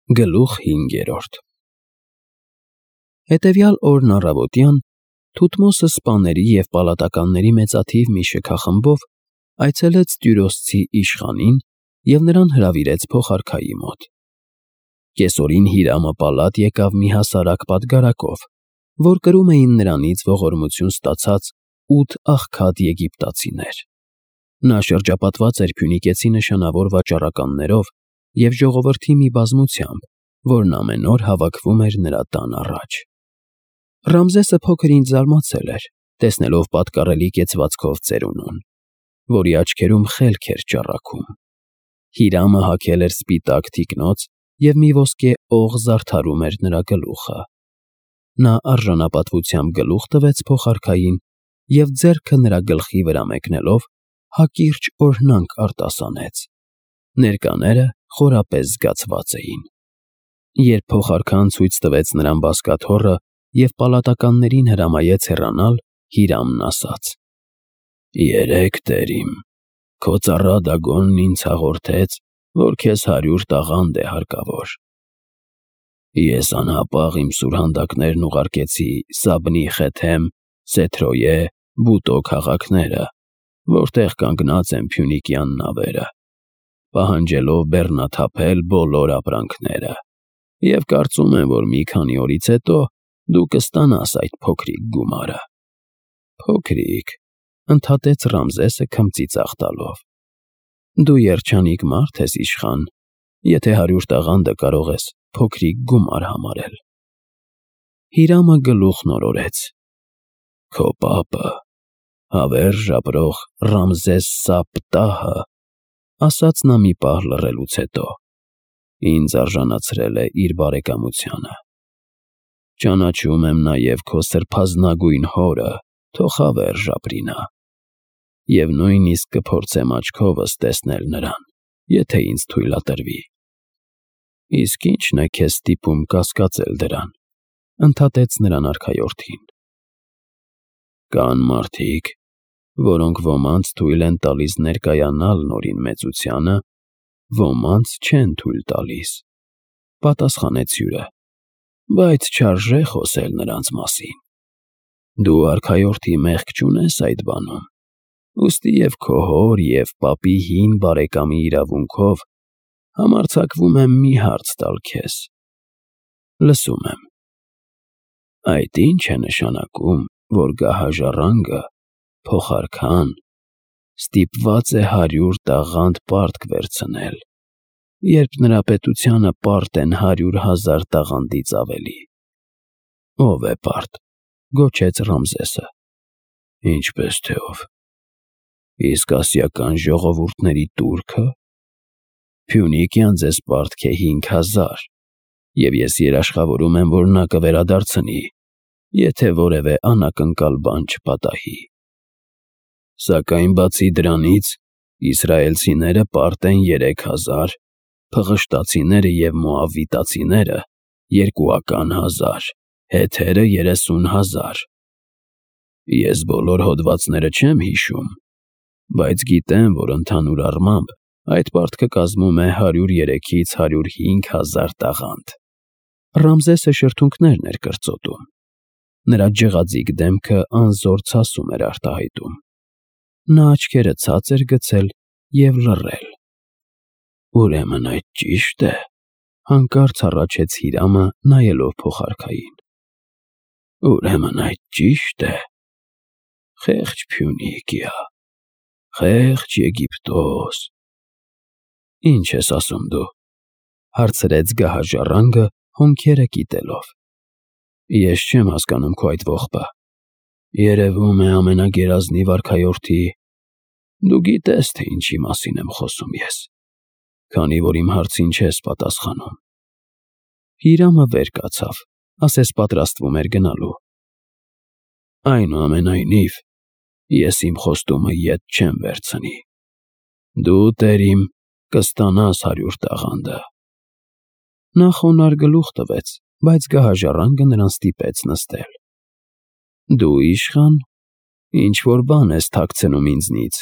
Գլուխ 5 Հետևյալ օրն առավոտյան Թութմոսը սպաների և պալատականների մեծաթիվ մի շքախմբով այցելեց Տյուրոսցի իշխանին և նրան հրավիրեց փոխարքայի մոտ։ Կեսօրին Հիրամը պալատ եկավ մի հասարակ պատգարակով, որ կրում էին նրանից ողորմություն ստացած 8 աղքատ եգիպտացիներ։ Նա շրջապատված էր փյունիկեցի նշանավոր վաճառականներով և ժողովրդի մի բազմությամբ, որն ամեն օր հավաքվում էր նրա տան առաջ։ Ռամզեսը փոքր ինչ զարմացել էր, տեսնելով պատկառելի կեցվածքով ծերունուն, որի աչքերում խելք էր ճառագում։ Հիրամը հագել էր սպիտակ թիկնոց և մի ոսկե օղ զարդարում էր նրա գլուխը։ Նա արժանապատվությամբ գլուխ տվեց փոխարքային և ձեռքը նրա գլխի վրա մեկնելով հակիրճ օրհնանք արտասանեց։ Ներկաները խորապես զգացված էին։ Երբ փոխարքան ցույց տվեց նրան բազկաթոռը և պալատականներին հրամայեց հեռանալ, Հիրամն ասաց. «Երեկ, տեր իմ, քո ծառա Դագոնն ինձ հաղորդեց, որ քեզ 100 տաղանդ է հարկավոր։ Ես անհապաղ իմ սուրհանդակներն ուղարկեցի Սաբնի Խեթեմ, Սեթրոյե, Բուտո քաղաքները, որտեղ կանգնած են փյունիկյան նավերը, պահանջելով բեռնաթափել բոլոր ապրանքները, և կարծում եմ, որ մի քանի օրից հետո դու կստանաս այդ փոքրիկ գումարը»։ «Փոքրիկ», ընդհատեց Ռամզեսը քմծիծաղ տալով։ «Դու երջանիկ մարդ ես, իշխան, եթե 100 տաղանդը կարող ես փոքրիկ գումար համարել»։ Հիրամը գլուխն օրորեց. «Քո պապը, հավերժ ապրող Ռամզես Սապտահը, ասաց նա մի պահ լռելուց հետո, ինձ արժանացրել է իր բարեկամությանը։ Ճանաչում եմ նաև քո սրբազնագույն հորը, թող հավերժ ապրի նա։ Եվ նույնիսկ կփորձեմ աչքովս տեսնել նրան, եթե ինձ թույլատրվի։ Իսկ ի՞նչն է քեզ ստիպում կասկածել դրան», ընդհատեց նրան արքայորդին։ «Կան մարդիկ, որոնք ոմանց թույլ են տալիս ներկայանալ Նորին մեծությանը, ոմանց չեն թույլ տալիս», պատասխանեց հյուրը, «բայց չարժե խոսել նրանց մասին։ Դու արքայորդի մեղք չունես այդ բանում, ուստի և քո հոր և պապի հին բարեկամի իրավունքով համարձակվում եմ մի հարց տալ քեզ։ Լսում եմ։ Այդ ի՞նչ է նշանակում, որ գահաժառանգը, փոխարքան, ստիպված է 100 տաղանդ պարտք վերցնել, երբ նրա պետությանը պարտ են 100,000 տաղանդից ավելի»։ «Ո՞վ է պարտ», գոչեց Ռամզեսը։ «Ինչպես թե ով։ Իսկ ասիական ժողովուրդների տուրքը։ Փյունիկյան ձեզ պարտք է 5,000, և ես երաշխավորում եմ, որ նա կվերադարձնի, եթե որևէ անակնկալ բան չպատահի։ Սակայն բացի դրանից, իսրայելցիները պարտ են 3,000, փղշտացիները և մոավիտացիները 2,000, հեթերը 30,000։ Ես բոլոր հոդվածները չեմ հիշում, բայց գիտեմ, որ ընդհանուր առմամբ այդ պարտքը կազմում է 103-ից 105,000 տաղանդ»։ Ռամզեսը շրթունքներն էր կրծոտում։ Նրա ջղաձիգ դեմքը անզոր ցասում էր արտահայտում։ Նա աչքերը ցած էր գցել և լռել։ «Ուրեմն այդ ճի՞շտ է», հանկարծ հառաչեց Հիրամը, նայելով փոխարքային։ «Ուրեմն այդ ճի՞շտ է։ Խեղճ Փյունիկիա, խեղճ Եգիպտոս»։ «Ինչ ես ասում դու», հարցրեց գահաժառանգը, հոնքերը կիտելով։ «Ես չեմ հասկանում քո այդ ողբը։ Երևում է, ամենագերազնիվ արքայորդի, դու գիտես, թե ինչի մասին եմ խոսում ես, քանի որ իմ հարցին չես պատասխանում»։ Հիրամը վեր կացավ, ասես պատրաստվում էր գնալու։ «Այնուամենայնիվ, ես իմ խոստումը ետ չեմ վերցնի։ Դու, տեր իմ, կստանաս 100 տաղանդը»։ Նա խոնարհ գլուխ տվեց, բայց գահաժառանգը նրան ստիպեց նստել։ «Դու, իշխան, ինչ֊որ բան ես թաքցնում ինձնից»,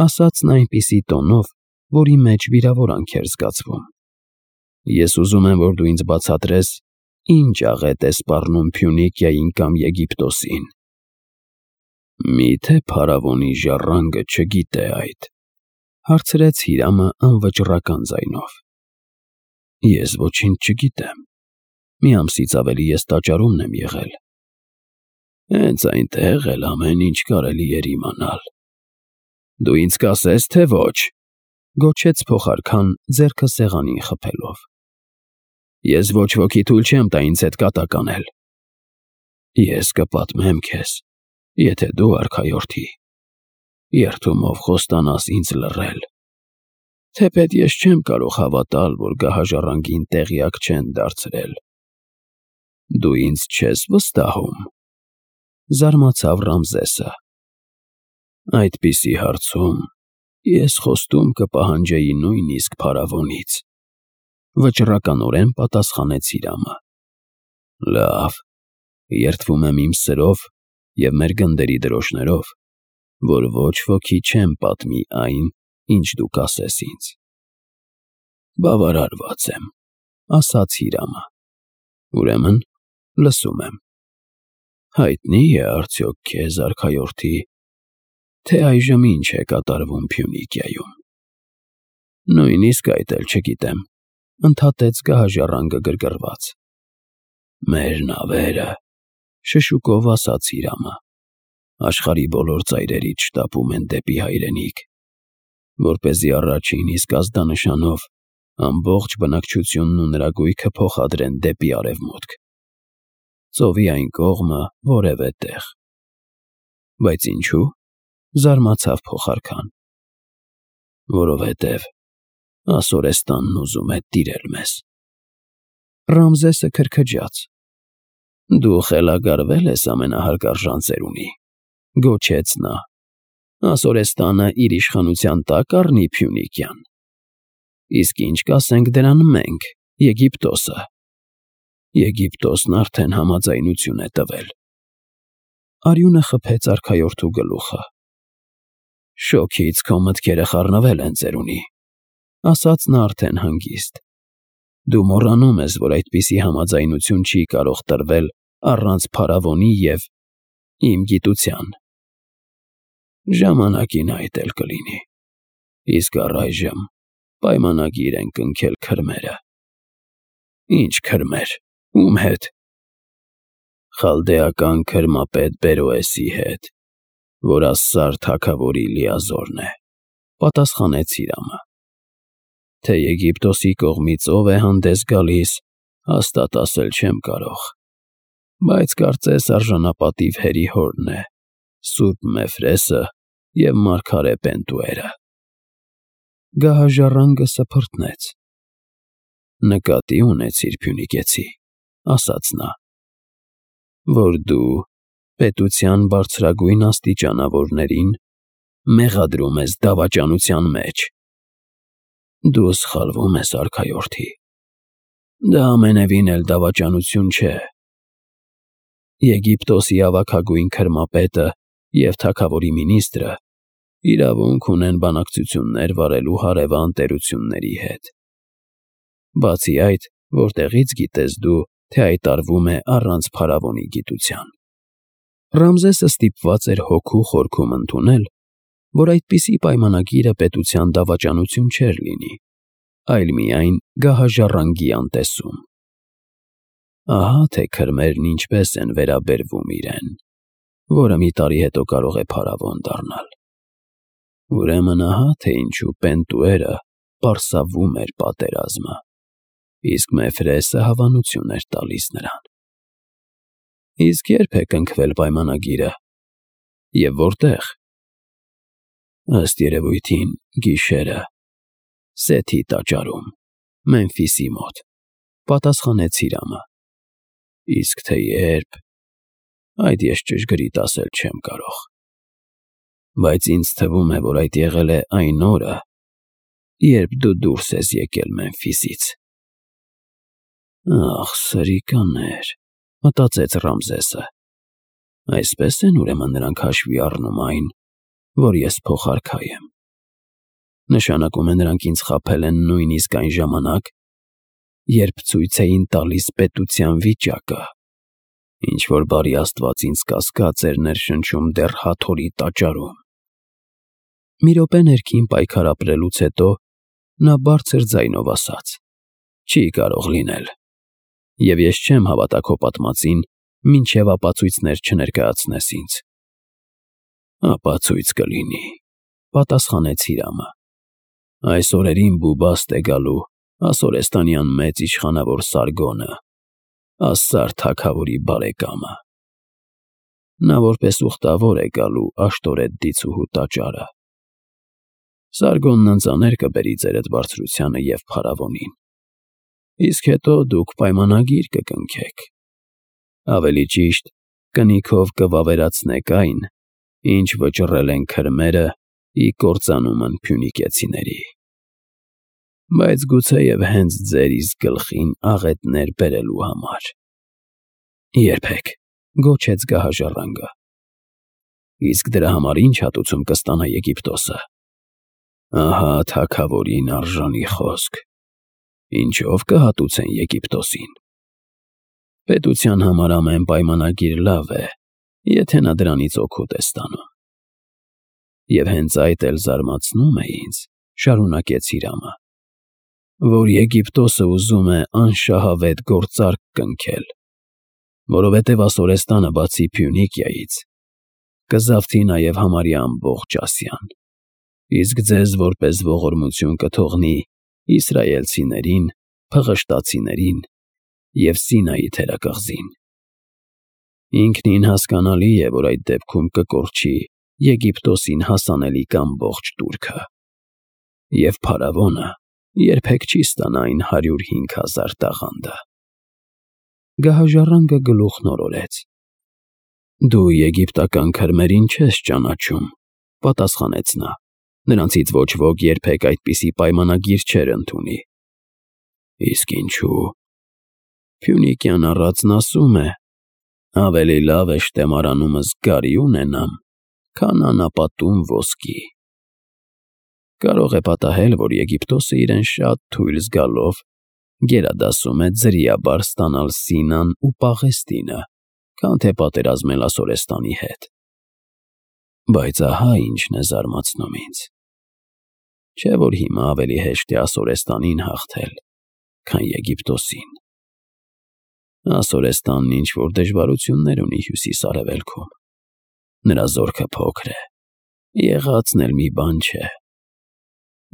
ասաց նա այնպիսի տոնով, որի մեջ վիրավորանք էր զգացվում։ Ես ուզում եմ, որ դու ինձ բացատրես, ինչ աղետ է սպառնում Փյունիկիային կամ Եգիպտոսին։ Միթե փարավոնի ժառանգը չգիտե այդ, հարցրեց Հիրամը անվճռական ձայնով։ Ես ոչինչ չգիտեմ։ Մի ամսից ավելի ես տաճարումն եմ եղել։ Հենց այնտեղ էլ ամեն ինչ կարելի էր իմանալ։ Դու ինձ կասես, թե ոչ, գոչեց փոխարքան ձեռքը սեղանին խփելով։ Ես ոչ ոքի թույլ չեմ տա ինձ հետ կատակ անել։ Ես կպատմեմ քեզ, եթե դու արքայորդի երդումով խոստանաս ինձ լռել։ Թեպետ ես չեմ կարող հավատալ, որ գահաժառանգին տեղյակ չեն դարձրել։ Դու ինձ չես վստահում, զարմացավ Ռամզեսը։ Այդպիսի հարցում ես խոստում կպահանջեի նույնիսկ փարավոնից, վճռականորեն պատասխանեց Հիրամը։ Լավ, երդվում եմ իմ սրով և մեր գնդերի դրոշներով, որ ոչ ոքի չեմ պատմի այն, ինչ դու կասես ինձ։ Բավարարված եմ, ասաց Հիրամը։ Ուրեմն լսում եմ։ Հայտնի է արդյոք քեզ, արքայորդի, թե այժմ ինչ է կատարվում Փյունիկիայում։ Նույնիսկ այդ էլ չգիտեմ, ընդհատեց գահաժառանգը գրգռված։ Մեր նավերը, շշուկով ասաց Հիրամը, աշխարհի բոլոր ծայրերից շտապում են դեպի հայրենիք, որպեսզի առաջին իսկ ազդանշանով ամբողջ բնակչությունն ու նրա գույքը փոխադրեն դեպի արևմուտք, ծովի այն կողմը որևէ տեղ։ Բայց ինչու՞, զարմացավ փոխարքան։ Որովհետև Ասորեստանն ուզում է տիրել մեզ։ Ռամզեսը քրքջաց։ Դու խելագարվել ես ամենահարգարժան ծերունի, գոչեց նա։ Ասորեստանը իր իշխանության տակ առնի Փյունիկյան։ Իսկ ինչ կասենք դրան մենք, Եգիպտոսը։ Եգիպտոսն արդեն համաձայնություն է տվել։ Արյունը խփեց արքայորդու գլուխը։ Շոգից քո մտքերը խառնվել են, ծերունի, ասաց նա արդեն հանգիստ։ Դու մոռանում ես, որ այդպիսի համաձայնություն չի կարող տրվել առանց փարավոնի և իմ գիտության։ Ժամանակին այդ էլ կլինի։ Իսկ առայժմ պայմանագիր են կնքել քրմերը։ Ինչ քրմեր, ում հետ։ Խալդեական քրմապետ Բերոեսի հետ, որ Ասսար թագավորի լիազորն է, պատասխանեց Հիրամը։ Թե Եգիպտոսի կողմից ով է հանդես գալիս, հաստատ ասել չեմ կարող, բայց կարծես արժանապատիվ հերի հորն է, Սուրբ Մեֆրեսը և մարգարե Պենտուերը։ Գահաժառանգը սփռտնեց։ Նկատի ունեցիր, Փյունիկեցի, ասաց նա, որ դու պետության բարձրագույն աստիճանավորներին մեղադրում ես դավաճանության մեջ։ Դու սխալվում ես, արքայորդի։ Դա ամենևին էլ դավաճանություն չէ։ Եգիպտոսի ավագագույն քրմապետը և թագավորի մինիստրը իրավունք ունեն բանակցություններ վարելու հարևան տերությունների հետ։ Բացի այդ, որտեղից գիտես դու, թե այդ արվում է առանց փարավոնի գիտության։ Ռամզեսը ստիպված էր հոգու խորքում ընդունել, որ այդպիսի պայմանագիրը պետության դավաճանություն չէր լինի, այլ միայն գահաժառանգի անտեսում։ Ահա թե քրմերն ինչպես են վերաբերվում իրեն, որը մի տարի հետո կարող է փարավոն դառնալ։ Ուրեմն ահա թե ինչու Պենտուերը պարսավում էր պատերազմը, իսկ Մեֆրեսը հավանություն էր տալիս նրան։ Իսկ երբ է կնքվել պայմանագիրը և որտեղ։ Ըստ երևույթին գիշերը, Սեթի տաճարում, Մեմֆիսի մոտ, պատասխանեց Հիրամը։ Իսկ թե երբ, այդ ես ճշգրիտ ասել չեմ կարող։ Բայց ինձ թվում է, որ այդ եղել է այն օրը, երբ դու դուրս ես եկել Մեմֆիսից։ Ախ, սրիկաներ, մտածեց Ռամզեսը։ Այսպես են ուրեմն նրանք հաշվի առնում այն, որ ես փոխարքայ եմ։ Նշանակում է նրանք ինձ խաբել են նույնիսկ այն ժամանակ, երբ ցույց էին տալիս պետության վիճակը, ինչ-որ բարի Աստված ինձ կասկած էր ներշնչում դեռ Հաթորի տաճարում։ Մի րոպե ներքին պայքար ապրելուց հետո նա բարձր ձայնով ասաց. «Չի կարող լինել, և ես չեմ հավատա քո պատմածին, մինչև ապացույցներ չներկայացնես ինձ»։ «Ապացույց կլինի», պատասխանեց Հիրամը։ «Այս օրերին Բուբաստ է գալու Ասորեստանյան մեծ իշխանավոր Սարգոնը, Ասսար թագավորի բարեկամը։ Նա որպես ուխտավոր է գալու Աշտորետ դիցուհու տաճարը։ Սարգոնն ընծաներ կբերի ձեր այդ բարձրությանը և փարավոնին, իսկ հետո դուք պայմանագիր կկնքեք, ավելի ճիշտ կնիքով կվավերացնեք այն, ինչ վճռել են քրմերը ի կործանումն փյունիկեցիների, բայց գուցեև հենց ձեր իսկ գլխին աղետներ բերելու համար»։ «Երբեք», գոչեց գահաժառանգը։ «Իսկ դրա համար ի՞նչ հատուցում կստանա Եգիպտոսը»։ «Ահա թագավորին արժանի խոսք. ինչով կհատուցեն Եգիպտոսին։ Պետության համար ամեն պայմանագիր լավ է, եթե նա դրանից օգուտ է ստանում։ Եվ հենց այդ էլ զարմացնում է ինձ», շարունակեց Հիրամը, «որ Եգիպտոսը ուզում է անշահավետ գործարք կնքել, որովհետև Ասորեստանը բացի Փյունիկիայից կզավթի նաև համարյա ամբողջ Ասիան, իսկ ձեզ որպես ողորմություն կթողնի իսրայելցիներին, փղշտացիներին և Սինայի թերակղզին։ Ինքնին հասկանալի է, որ այդ դեպքում կկորչի Եգիպտոսին հասանելիք ամբողջ տուրքը, և փարավոնը երբեք չի ստանա այն 105,000 տաղանդը»։ Գահաժառանգը գլուխն օրորեց։ «Դու եգիպտական քրմերին չես ճանաչում», պատասխանեց նա։ «Նրանցից ոչ ոք երբեք այդպիսի պայմանագիր չէր ընդունի»։ «Իսկ ինչու»։ «Փյունիկյան առածն ասում է. ավելի լավ է շտեմարանումս գարի ունենամ, քան անապատում ոսկի։ Կարող է պատահել, որ Եգիպտոսը իրեն շատ թույլ զգալով գերադասում է ձրիաբար ստանալ Սինան ու Պաղեստինը, քան թե պատերազմել Ասորեստանի հետ։ Բայց ահա ինչն է զարմացնում ինձ. չէ՞ որ հիմա ավելի հեշտ է Ասորեստանին հաղթել, քան Եգիպտոսին։ Ասորեստանն ինչ-որ դժվարություններ ունի հյուսիս֊արևելքում։ Նրա զորքը փոքր է, եղածն էլ մի բան չէ։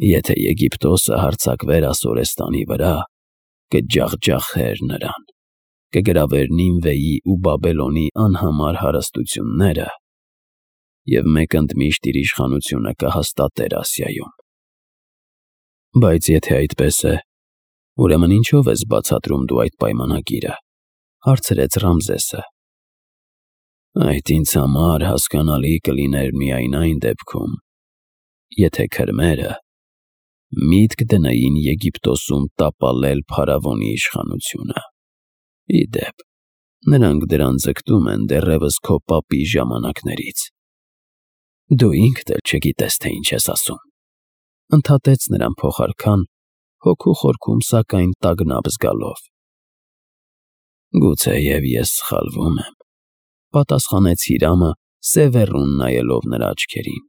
Եթե Եգիպտոսը հարձակվեր Ասորեստանի վրա, կջախջախեր նրան, կգրավեր Նինվեի ու Բաբելոնի անհամար հարստությունները և մեկ ընդմիշտ իր իշխանությունը կհաստատեր Ասիայում։ Բայց եթե այդպես է, ուրեմն ինչով ես բացատրում դու այդ պայմանագիրը, հարցրեց Ռամզեսը։ Այդ ինձ համար հասկանալի կլիներ միայն այն դեպքում, եթե քրմերը միտք դնեին Եգիպտոսում տապալել փարավոնի իշխանությունը։ Ի դեպ, նրանք դրան ձգտում են դեռևս քո պապի ժամանակներից։ Դու ինքդ էլ չգիտես, թե ինչ ես ասում, ընդհատեց նրան փոխարքան, հոգու խորքում սակայն տագնապ զգալով։ Գուցեև ես սխալվում եմ, պատասխանեց Հիրամը, սևեռուն նայելով նրա աչքերին։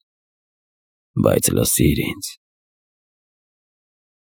Բայց լսիր ինձ,